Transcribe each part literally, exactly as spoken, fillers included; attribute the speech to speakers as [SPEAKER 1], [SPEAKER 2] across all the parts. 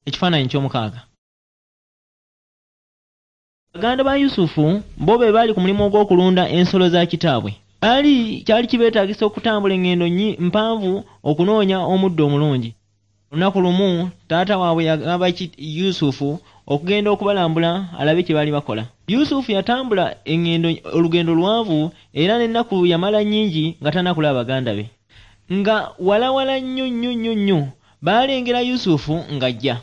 [SPEAKER 1] Ekifaananyi ky'omukaaga. Baganda ba Yusufu bo be baali ku mulimu ogw'okulunda ensolo za kitaabwe. Baali kyali kibeetaagisa okutambula eŋŋendo nnyi mpanvu okunoonya omuddo omulungi. Olunaku lumu taata waabwe yagamba Yusufu okugenda okubalambula alabe kye baali bakola. Yusufu yatambula eŋŋendo olugendo luwanvu era n'ennaku yamala nnyingi nga tannakulaba baganda be. Nga walawala nnyo nnyo nnyo nnyo baalengera Yusufu ng'ajja.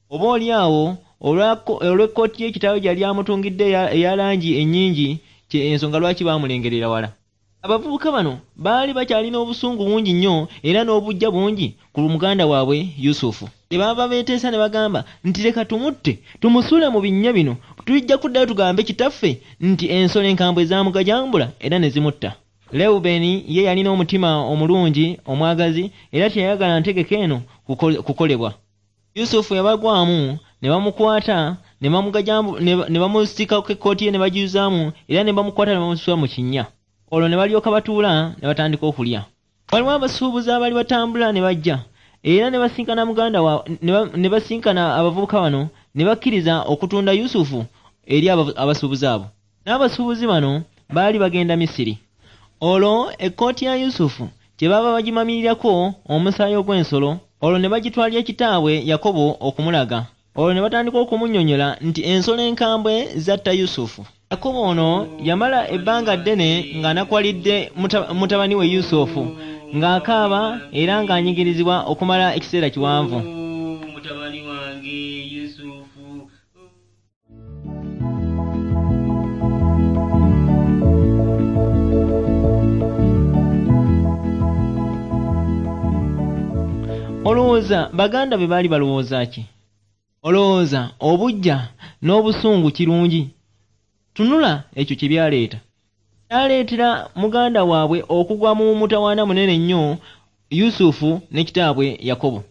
[SPEAKER 1] Oboolyawo olw'ekkooti ye kitaawe gye yali amutungidde eya langi ennyingi ensonga lwaki baamulengerera wala. Abavubuka bano baali bakyalina obusungu bungi nnyo era n'obuggya bungi ku muganda waabwe Yusufu. Kye baava beeteesa ne bagamba nti leka tumutte tumusuule mu binnya bino, tujja kuddayo tugambe kitaffe nti ensolo enkambwe zaamugajambula era ne zimutta. Lewubeeni ye yalina omutima omulungi omwagazi era teyayagala ntegeka eno kukolebwa. Yusufu yabagwamu ne bamukwata ne bamusikako ekkooti ye ne bagiyuzaamu era ne bamukwata ne bamusuula mu kinnya. Olwo ne balyoka batuula ne batandika okulya. Waliwo abasuubuzi abaali batambula ne bajja era ne basinkana muganda wa ne basinkana abavubuka bano ne bakkiriza okutunda Yusufu eri abasuubuzi abo. N'abasuubuzi bano baali bagenda Misiri. Olwo ekkooti ya Yusufu kye baava bagimamirirako omusaayi ogw'ensolo, olwo ne bagitwalira kitaabwe Yakobo okumulaga. Olwo ne batandika okumunnyonnyola nti ensolo enkambwe zatta Yusufu. Yakobo ono yamala ebbanga ddene ng'anakuwalidde mutabani we Yusufu, ng'akaaba era ng'anyigirizibwa okumala ekiseera kiwanvu.
[SPEAKER 2] Mutabani wange Yusufu.
[SPEAKER 1] Olowooza baganda be baali balowooza ki? Olowooza obuggya n'obusungu kirungi? Tunula ekyo kye byaleeta. Kyaleetera muganda waabwe okugwa mu mutawaana munene nnyo Yusufu ne kitaabwe Yakobo.